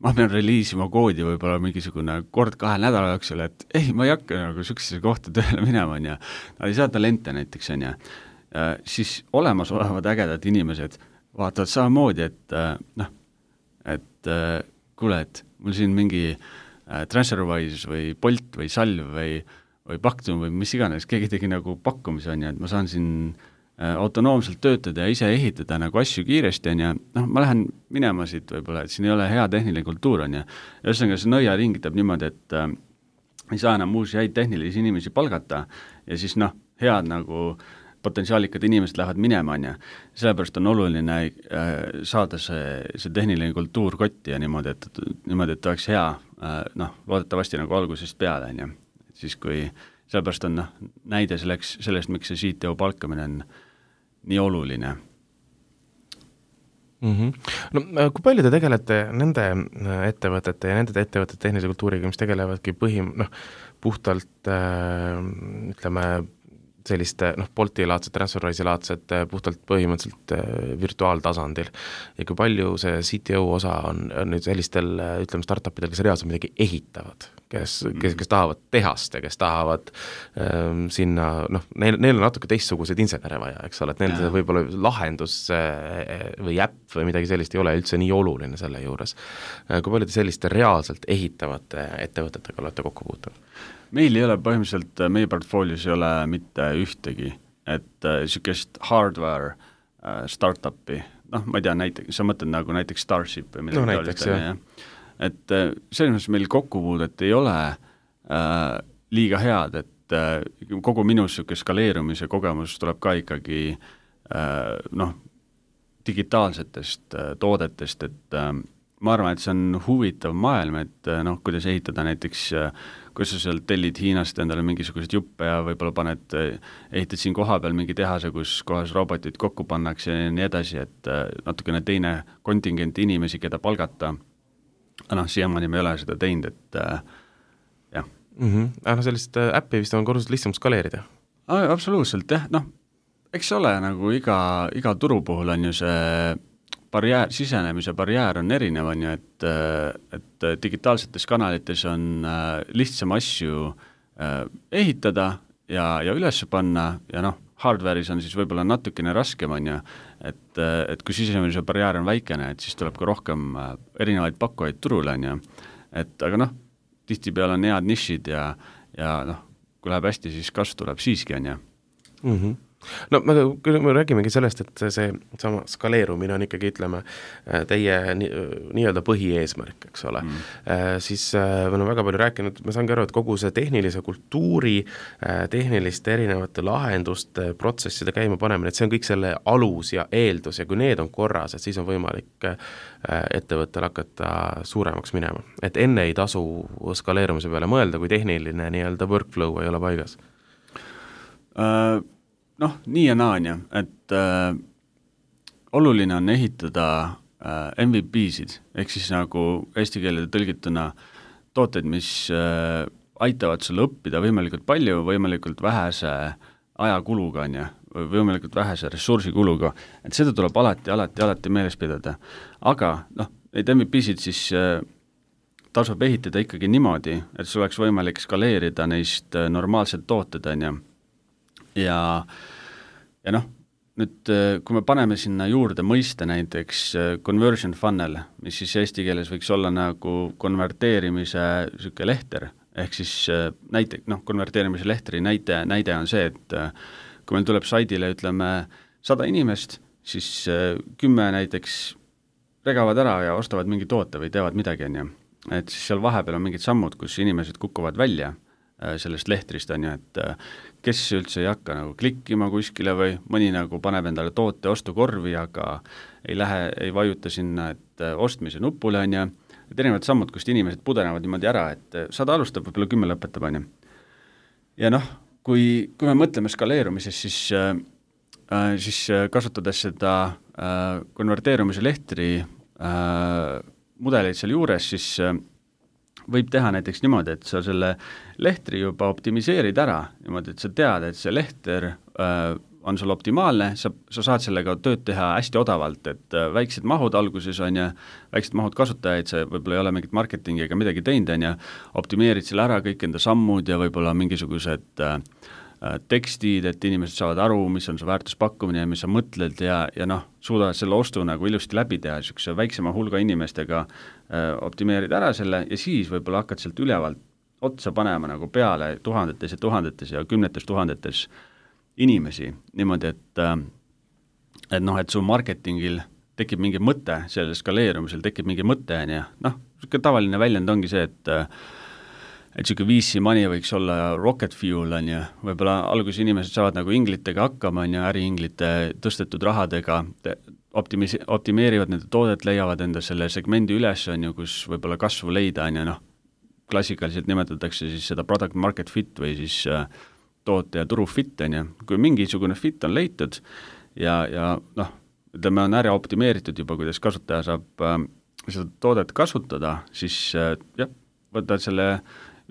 ma pean reliisima koodi võib-olla mingisugune kord kahe nädala jooksul, et ei, ma ei hakka nagu sükse kohta tööle minema, on ju, nad ei saa talente näiteks, on ju, siis olemasolevad ägedad inimesed vaatavad samamoodi, et noh, et kuule, et mul siin mingi TransferWise või Bolt või Salv või või Paktum või mis iganes, keegi tegi nagu pakkumise, on ju, et ma saan siin äh, autonoomselt töötada ja ise ehitada nagu asju kiiresti, on ju, noh, ma lähen minema siit võib-olla, et siin ei ole hea tehniline kultuur, on ju, ja ühesõnaga see nõiaring teeb niimoodi, et äh, ei saa enam uusi häid tehnilisi inimesi palgata ja siis noh, head nagu potentsiaalikad inimesed lähevad minema, on ju, sellepärast on oluline äh, saada see, see tehniline kultuur kotti ja niimoodi, et, niimoodi, et oleks hea, äh, noh, loodetavasti nagu algusest peale, on ju. Siis kui sellepärast on noh, näide selleks, sellest, miks see C T O palkamine on nii oluline. Mm-hmm. No kui palju te tegelete nende ettevõtete ja nende ettevõtete tehnilise kultuuriga, mis tegelevadki põhim, noh, puhtalt äh, ütleme selliste noh, Bolti-laadsed, TransferWise-laadsed puhtalt põhimõtteliselt virtuaaltasandil ja kui palju see C T O osa on, on nüüd sellistel, ütleme, startupidel, kes reaalselt midagi ehitavad, kes, kes, kes tahavad tehast ja kes tahavad ähm, sinna, noh, neil, neil on natuke teistsuguseid insenere vaja, eks ole, et neil võib-olla lahendus äh, või äpp või midagi sellist ei ole üldse nii oluline selle juures. Kui palju te selliste reaalselt ehitavate ettevõtetega olete kokku puutunud? Meil ei ole põhimõtteliselt, meie portfoolios ei ole mitte ühtegi, et niisugust äh, hardware äh, startupi, noh, ma ei tea, näiteks, sa mõtled nagu näiteks Starship või midagi no, näiteks, jah. Ja. Et äh, selles mõttes meil kokkupuudet ei ole äh, liiga head, et äh, kogu minu niisugune skaleerumise kogemus tuleb ka ikkagi äh, noh, digitaalsetest äh, toodetest, et äh, ma arvan, et see on huvitav maailm, et noh, kuidas ehitada näiteks, kuidas sa seal tellid Hiinast endale mingisugused juppe ja võib-olla paned, ehitad siin koha peal mingi tehase, kus kohas robotid kokku pannakse ja nii edasi, et natukene teine kontingent inimesi, keda palgata, noh, siiamaani me ei ole seda teinud, et jah. Mm-hmm. No sellist äppi vist on korrusel lihtsam skaleerida? Absoluutselt, jah, noh, eks ole, nagu iga, iga turu puhul on ju see barjäär, sisenemise barjäär on erinev, on ju, et, et digitaalsetes kanalites on lihtsam asju ehitada ja, ja üles panna ja noh, hardware'is on siis võib-olla natukene raskem, on ju, et, et kui sisenemise barjäär on väikene, et siis tuleb ka rohkem erinevaid pakkujaid turule, on ju, et aga noh, tihtipeale on head nišid ja, ja noh, kui läheb hästi, siis kasv tuleb siiski, on ju. Mm-hmm. No me, me räägimegi sellest, et see sama skaleerumine on ikkagi, ütleme, teie nii, nii-öelda põhieesmärk, eks ole. Mm. Siis me oleme väga palju rääkinud, ma saangi aru, et kogu see tehnilise kultuuri, tehniliste erinevate lahenduste, protsesside käima panemine, et see on kõik selle alus ja eeldus ja kui need on korras, et siis on võimalik ettevõttel hakata suuremaks minema. Et enne ei tasu skaleerumise peale mõelda, kui tehniline nii-öelda workflow ei ole paigas. Uh... Noh, nii ja naa on ju, et äh, oluline on ehitada äh, M V P-sid, ehk siis nagu eesti keelde tõlgituna tooteid, mis äh, aitavad sulle õppida võimalikult palju, võimalikult vähese ajakuluga on ju, või võimalikult vähese ressursikuluga, et seda tuleb alati, alati, alati meeles pidada. Aga noh, neid M V P-sid siis äh, tasub ehitada ikkagi niimoodi, et sul oleks võimalik skaleerida neist äh, normaalselt tooted on ju. Ja, ja noh, nüüd kui me paneme sinna juurde mõiste näiteks conversion funnel, mis siis eesti keeles võiks olla nagu konverteerimise süke lehter, ehk siis näite, noh, konverteerimise lehtri näite, näide on see, et kui meil tuleb saidile, ütleme, sada inimest, siis kümme näiteks regavad ära ja ostavad mingi toote või teevad midagi, on ju. Et siis seal vahepeal on mingid sammud, kus inimesed kukuvad välja sellest lehtrist on ju, et kes üldse ei hakka nagu klikkima kuskile või mõni nagu paneb endale toote ostukorvi, aga ei lähe, ei vajuta sinna, et ostmise nupule on ju, et erinevad sammud, kust inimesed pudenevad niimoodi ära, et sada alustab, võib-olla kümme lõpetab on ju. Ja noh, kui, kui me mõtleme skaleerumises, siis, äh, siis kasutades seda äh, konverteerumise lehtri äh, mudeleid seal juures, siis äh, võib teha näiteks niimoodi, et sa selle lehtri juba optimiseerid ära, niimoodi, et sa tead, et see lehter äh, on sul optimaalne, sa, sa saad sellega tööd teha hästi odavalt, et äh, väiksed mahud alguses on ja väiksed mahud kasutajaid, sa võib-olla ei ole mingit marketingi ega midagi teinud, on ja optimeerid selle ära kõik enda sammud ja võib-olla mingisugused äh, tekstid, et inimesed saavad aru, mis on su väärtuspakkumine ja mis sa mõtled ja, ja noh, suudavad selle ostu nagu ilusti läbi teha, niisuguse väiksema hulga inimestega äh, optimeerid ära selle ja siis võib-olla hakkad sealt ülevalt otsa panema nagu peale tuhandetes ja tuhandetes ja kümnetes tuhandetes inimesi, niimoodi, et äh, et noh, et su marketingil tekib mingi mõte, sellel skaleerumisel tekib mingi mõte, on ja noh, niisugune tavaline väljend ongi see, et äh, et niisugune V C money võiks olla rocket fuel, on ju, võib-olla alguses inimesed saavad nagu inglitega hakkama, on ju, äriinglite tõstetud rahadega, optimis-, optimeerivad nende toodet, leiavad enda selle segmendi üles, on ju, kus võib-olla kasvu leida, on ju, noh, klassikaliselt nimetatakse siis seda product market fit või siis äh, toote ja turu fit, on ju, kui mingisugune fit on leitud ja, ja noh, ütleme, on ära optimeeritud juba, kuidas kasutaja saab äh, seda toodet kasutada, siis äh, jah, võtad selle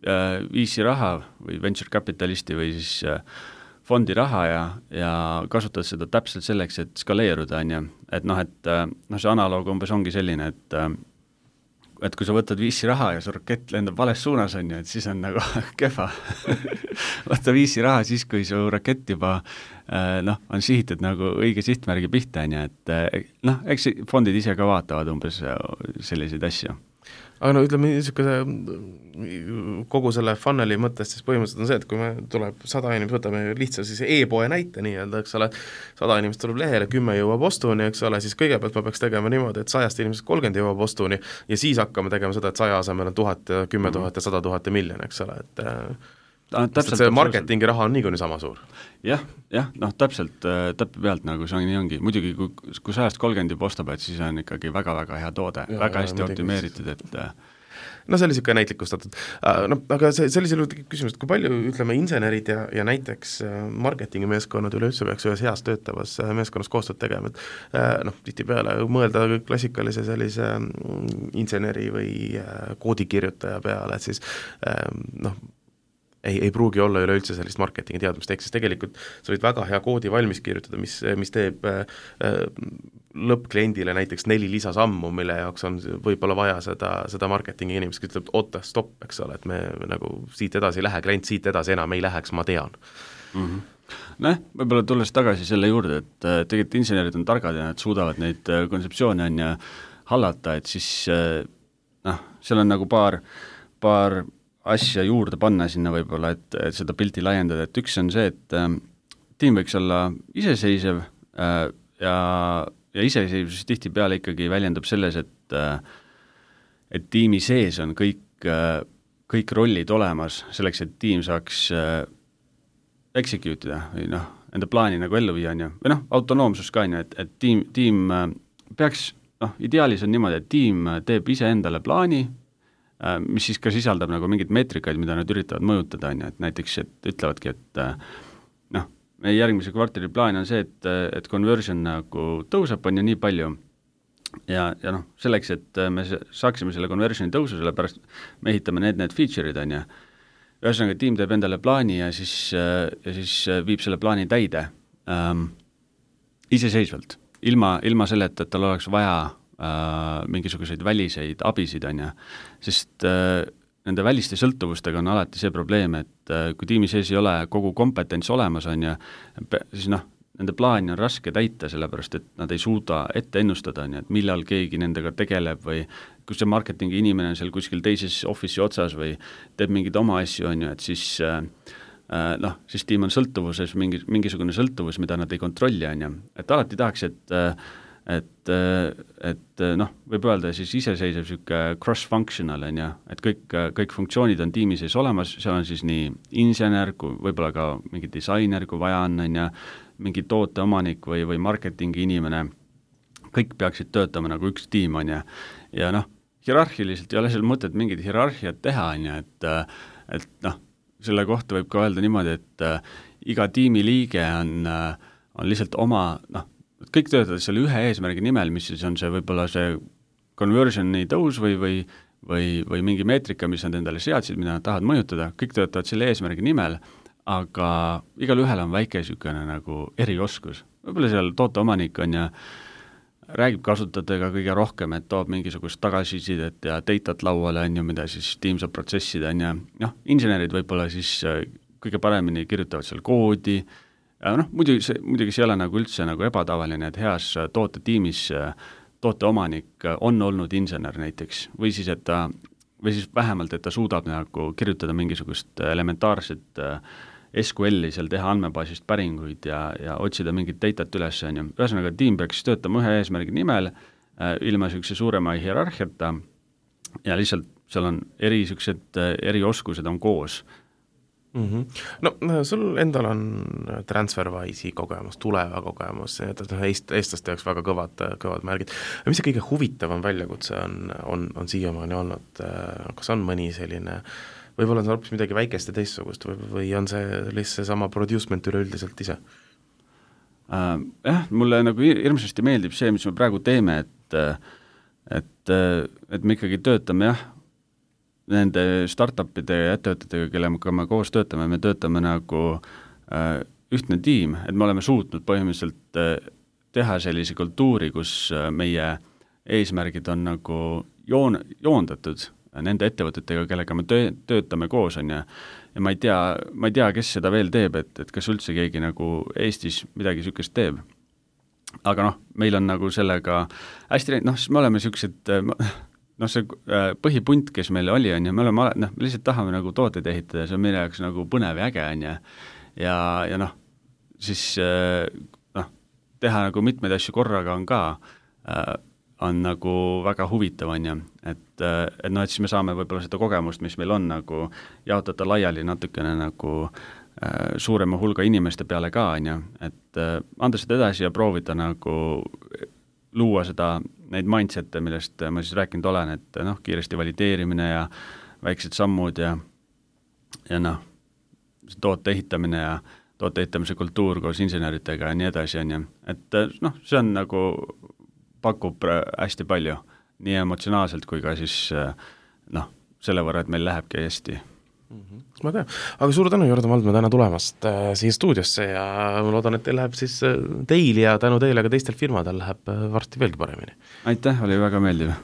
V C raha või venture capitalisti või siis fondi raha ja, ja kasutad seda täpselt selleks, et skaleeruda, on ju. Et noh, et noh, see analoog umbes ongi selline, et et kui sa võtad V C raha ja su rakett lendab vales suunas, on ju, et siis on nagu kehva. Võtta V C raha siis, kui su rakett juba noh, on sihitud nagu õige sihtmärgi pihta, on ju, et noh, eks fondid ise ka vaatavad umbes selliseid asju. Aga no ütleme, niisuguse kogu selle funneli mõttes siis põhimõtteliselt on see, et kui me tuleb sada inimest, võtame lihtsalt siis e-poe näite nii-öelda, eks ole, sada inimest tuleb lehele, kümme jõuab ostuni, eks ole, siis kõigepealt ma peaks tegema niimoodi, et sajast inimesest kolmkümmend jõuab ostuni ja siis hakkame tegema seda, et saja asemel on tuhat, kümme tuhat ja sada tuhat ja miljon, eks ole, et Ta, täpselt, see marketingi raha on niikuinii sama suur. Jah, jah, noh, täpselt, täppi pealt nagu see on, nii ongi. Muidugi, kui, kui sajast kolmkümmend juba ostab, et siis on ikkagi väga-väga hea toode, ja, väga ja, hästi optimeeritud, et no see oli niisugune näitlikustatud. No, aga see, sellisel juurde küsimus, et kui palju, ütleme, insenerid ja, ja näiteks marketingi meeskonnad üleüldse peaks ühes heas töötavas meeskonnas koostööd tegema, et noh, tihtipeale mõelda klassikalise sellise inseneri või koodikirjutaja peale, et siis noh, ei, ei pruugi olla üleüldse sellist marketingi teadmist, ehk siis tegelikult sa võid väga hea koodi valmis kirjutada, mis, mis teeb äh, lõppkliendile näiteks neli lisasammu, mille jaoks on võib-olla vaja seda, seda marketingi inimest, kes ütleb, oota, stopp, eks ole, et me nagu siit edasi ei lähe, klient siit edasi enam ei läheks, ma tean. Mm-hmm. Noh, võib-olla tulles tagasi selle juurde, et äh, tegelikult insenerid on targad ja nad suudavad neid äh, kontseptsioone on ja hallata, et siis äh, noh, seal on nagu paar, paar asja juurde panna sinna võib-olla, et, et seda pilti laiendada, et üks on see, et äh, tiim võiks olla iseseisev äh, ja, ja iseseisvus tihtipeale ikkagi väljendub selles, et äh, et tiimi sees on kõik, äh, kõik rollid olemas selleks, et tiim saaks äh, execute ida või noh, enda plaani nagu ellu viia, on ju, või noh, autonoomsus ka on ju, et, et tiim, tiim äh, peaks, noh, ideaalis on niimoodi, et tiim teeb iseendale plaani, mis siis ka sisaldab nagu mingeid meetrikaid, mida nad üritavad mõjutada, on ju, et näiteks, et ütlevadki, et noh, meie järgmise kvartali plaan on see, et, et conversion nagu tõuseb, on ju nii palju ja, ja noh, selleks, et me saaksime selle conversioni tõusu, sellepärast me ehitame need, need feature'id, on ju, ühesõnaga tiim teeb endale plaani ja siis, ja siis viib selle plaani täide ähm, iseseisvalt, ilma, ilma selleta, et tal oleks vaja Äh, mingisuguseid väliseid abisid, on ju, sest äh, nende väliste sõltuvustega on alati see probleem, et äh, kui tiimi sees ei ole kogu kompetents olemas, on ju, siis noh, nende plaani on raske täita, sellepärast et nad ei suuda ette ennustada, on ju, et millal keegi nendega tegeleb või kus see marketingi inimene on seal kuskil teises office'i otsas või teeb mingeid oma asju, on ju, et siis äh, noh, siis tiim on sõltuvuses, mingi, mingisugune sõltuvus, mida nad ei kontrolli, on ju, et alati tahaks, et äh, et, et noh, võib öelda siis iseseisev niisugune cross-functional, on ju, et kõik, kõik funktsioonid on tiimi sees olemas, seal on siis nii insener, kui võib-olla ka mingi disainer, kui vaja on, on ju, mingi tooteomanik või, või marketingi inimene, kõik peaksid töötama nagu üks tiim, on ju, ja noh, hierarhiliselt ei ole seal mõtet mingit hierarhiat teha, on ju, et et noh, selle kohta võib ka öelda niimoodi, et äh, iga tiimiliige on, äh, on lihtsalt oma, noh, kõik töötavad selle ühe eesmärgi nimel, mis siis on see võib-olla see conversioni tõus või, või, või, või mingi meetrika, mis nad endale seadsid, mida nad tahavad mõjutada, kõik töötavad selle eesmärgi nimel, aga igal ühel on väike niisugune nagu erioskus. Võib-olla seal tooteomanik on ja räägib kasutajatega kõige rohkem, et toob mingisugust tagasisidet ja datat lauale, on ju, mida siis tiim saab protsessida, on ja noh, insenerid võib-olla siis kõige paremini kirjutavad seal koodi. Noh, muidugi see, muidugi see ei ole nagu üldse nagu ebatavaline, et heas tootetiimis tooteomanik on olnud insener näiteks, või siis, et ta, või siis vähemalt, et ta suudab nagu kirjutada mingisugust elementaarset S Q L-i, seal teha andmebaasist päringuid ja, ja otsida mingit datat üles, on ju. Ühesõnaga, tiim peaks töötama ühe eesmärgi nimel, ilma niisuguse suurema hierarhiata ja lihtsalt seal on eri niisugused erioskused on koos. Mm-hmm. No sul endal on TransferWise'i kogemus, Tuleva kogemus, eest, eestlaste jaoks väga kõvad, kõvad märgid. Mis see kõige huvitavam väljakutse on, on, on siiamaani olnud? Kas on mõni selline, võib-olla on see hoopis midagi väikest ja teistsugust või, või on see lihtsalt sama producement üleüldiselt ise? Äh, jah, mulle nagu hirmsasti meeldib see, mis me praegu teeme, et, et, et me ikkagi töötame jah, nende startupide ja ettevõtetega, kellega me koos töötame, me töötame nagu äh, ühtne tiim, et me oleme suutnud põhimõtteliselt äh, teha sellise kultuuri, kus äh, meie eesmärgid on nagu joon, joondatud nende ettevõtetega, kellega me töö, töötame koos, on ja, ja ma ei tea, ma ei tea, kes seda veel teeb, et, et kas üldse keegi nagu Eestis midagi niisugust teeb. Aga noh, meil on nagu sellega hästi, noh, siis me oleme niisugused noh, see põhipunt, kes meil oli, on ja me oleme, noh, me lihtsalt tahame nagu tooteid ehitada, see on meie jaoks nagu põnev ja äge, on ja, ja, ja noh, siis noh, teha nagu mitmeid asju korraga on ka, on nagu väga huvitav, on ja, et, et noh, et siis me saame võib-olla seda kogemust, mis meil on, nagu jaotada laiali natukene nagu suurema hulga inimeste peale ka, on ja, et anda seda edasi ja proovida nagu luua seda, neid mindset'e, millest ma siis rääkinud olen, et noh, kiiresti valideerimine ja väiksed sammud ja, ja noh, toote ehitamine ja toote ehitamise kultuur koos inseneritega ja nii edasi, on ja, et noh, see on nagu, pakub hästi palju, nii emotsionaalselt kui ka siis noh, selle võrra, et meil lähebki hästi. Mm-hmm. Ma tean, aga suur tänu, Jordan Valdma, täna tulemast äh, siia stuudiosse ja ma loodan, et teil läheb siis äh, teil ja tänu teile ka teistel firmadel läheb äh, varsti veelgi paremini. Aitäh, oli väga meeldiv.